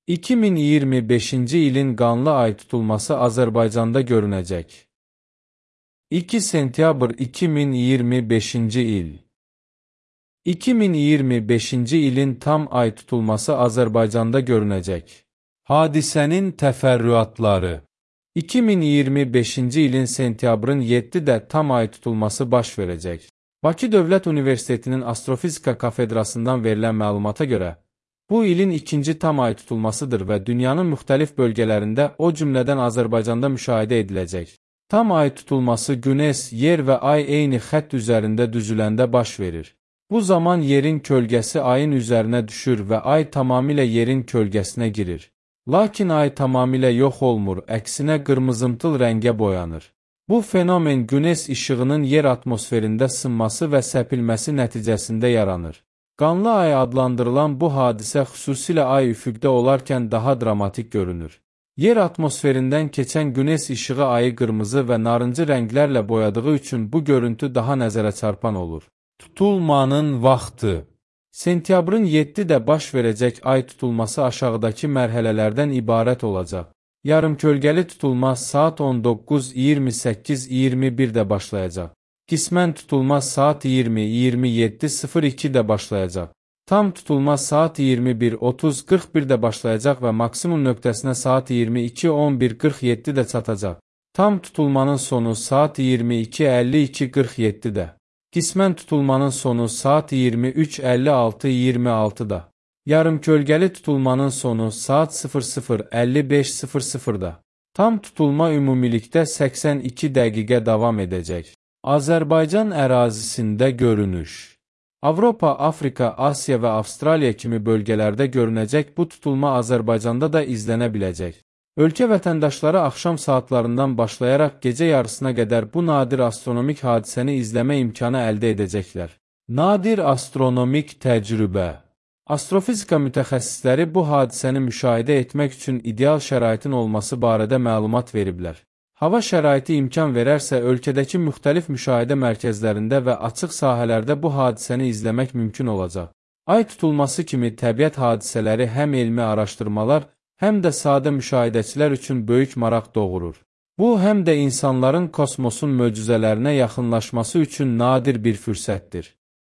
2025-ci ilin qanlı ay tutulması Azərbaycanda görünəcək. 2 sentyabr 2025-ci il 2025-ci ilin tam ay tutulması Azərbaycanda görünəcək. Hadisənin təfərrüatları 2025-ci ilin sentyabrın 7-də tam ay tutulması baş verəcək. Bakı Dövlət Universitetinin Astrofizika Kafedrasından verilən məlumata görə, bu ilin ikinci tam ay tutulmasıdır və dünyanın müxtəlif bölgələrində, o cümlədən Azərbaycanda müşahidə ediləcək. Tam ay tutulması Güneş, yer və ay eyni xətt üzərində düzüləndə baş verir. Bu zaman yerin kölgəsi ayın üzərinə düşür və ay tamamilə yerin kölgəsinə girir. Lakin ay tamamilə yox olmur, əksinə qırmızımtıl rəngə boyanır. Bu fenomen Güneş işığının yer atmosferində sınması və səpilməsi nəticəsində yaranır. Qanlı ay adlandırılan bu hadisə xüsusilə ay üfüqdə olarkən daha dramatik görünür. Yer atmosferindən keçən Güneş işığı ayı qırmızı və narıncı rənglərlə boyadığı üçün bu görüntü daha nəzərə çarpan olur. Tutulmanın vaxtı Sentyabrın 7-də baş verəcək ay tutulması aşağıdakı mərhələlərdən ibarət olacaq. Yarımkölgəli tutulma saat 19:28-21-də başlayacaq. Qismən tutulma saat 20:27:02-də başlayacaq. Tam tutulma saat 21:30-41-də başlayacaq və maksimum nöqtəsinə saat 22:11:47-də çatacaq. Tam tutulmanın sonu saat 22:52:47-də. Qismən tutulmanın sonu saat 23:56:26-da. Yarımkölgəli tutulmanın sonu saat 00:55:00-da. Tam tutulma ümumilikdə 82 dəqiqə davam edəcək. Azərbaycan ərazisində görünüş Avropa, Afrika, Asiya və Avstraliya kimi bölgələrdə görünəcək bu tutulma Azərbaycanda da izlənə biləcək. Ölkə vətəndaşları axşam saatlarından başlayaraq gecə yarısına qədər bu nadir astronomik hadisəni izləmə imkanı əldə edəcəklər. Nadir astronomik təcrübə Astrofizika mütəxəssisləri bu hadisəni müşahidə etmək üçün ideal şəraitin olması barədə məlumat veriblər. Hava şəraiti imkan verərsə, ölkədəki müxtəlif müşahidə mərkəzlərində və açıq sahələrdə bu hadisəni izləmək mümkün olacaq. Ay tutulması kimi təbiət hadisələri həm elmi araşdırmalar, həm də sadə müşahidəçilər üçün böyük maraq doğurur. Bu, həm də insanların kosmosun möcüzələrinə yaxınlaşması üçün nadir bir fürsətdir.